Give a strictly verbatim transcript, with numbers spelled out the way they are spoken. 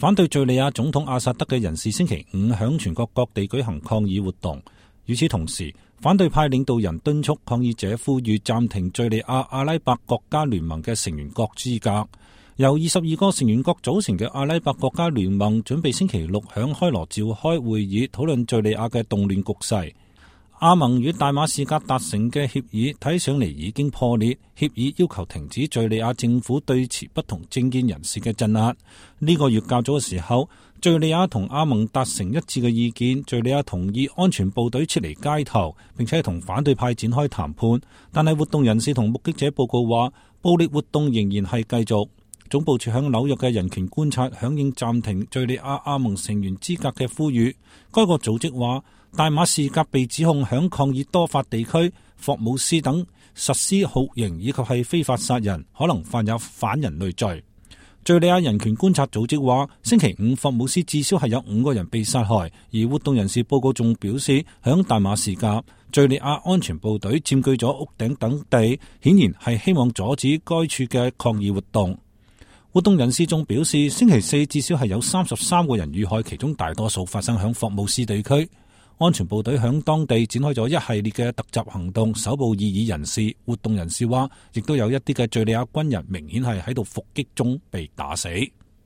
反對敘利亞總統阿薩德嘅人士星期五響全國各地舉行抗議活動。與此同時，反對派領導人敦促抗議者呼籲暫停敘利亞阿拉伯國家聯盟嘅成員國資格。由二十二個成員國組成嘅阿拉伯國家聯盟準備星期六響開羅召開會議，討論敘利亞嘅動亂局勢。阿盟與大馬士革達成嘅協議睇上嚟已經破裂，協議要求停止敘利亞政府對持不同政見人士嘅鎮壓。呢個月較早嘅時候，敘利亞同阿盟達成一致嘅意見，敘利亞同意安全部隊撤離街頭，並且同反對派展開談判。但係活動人士同目擊者報告話，暴力活動仍然係繼續。總部處響紐約嘅人權觀察響應暫停敘利亞阿盟成員資格嘅呼籲。該個組織話，大馬士革被指控響抗議多法地區霍姆斯等實施酷刑以及係非法殺人，可能犯有反人類罪。敘利亞人權觀察組織話，星期五霍姆斯至少係有五個人被殺害，而活動人士報告仲表示，響大馬士革敘利亞安全部隊佔據咗屋頂等地，顯然係希望阻止該處嘅抗議活動。活動人士仲表示，星期四至少係有三十三個人遇害，其中大多數發生響霍姆斯地區。安全部隊響當地展開咗一系列嘅突襲行動，搜捕異議人士。活動人士話，亦都有一啲嘅敘利亞軍人明顯係喺度伏擊中被打死。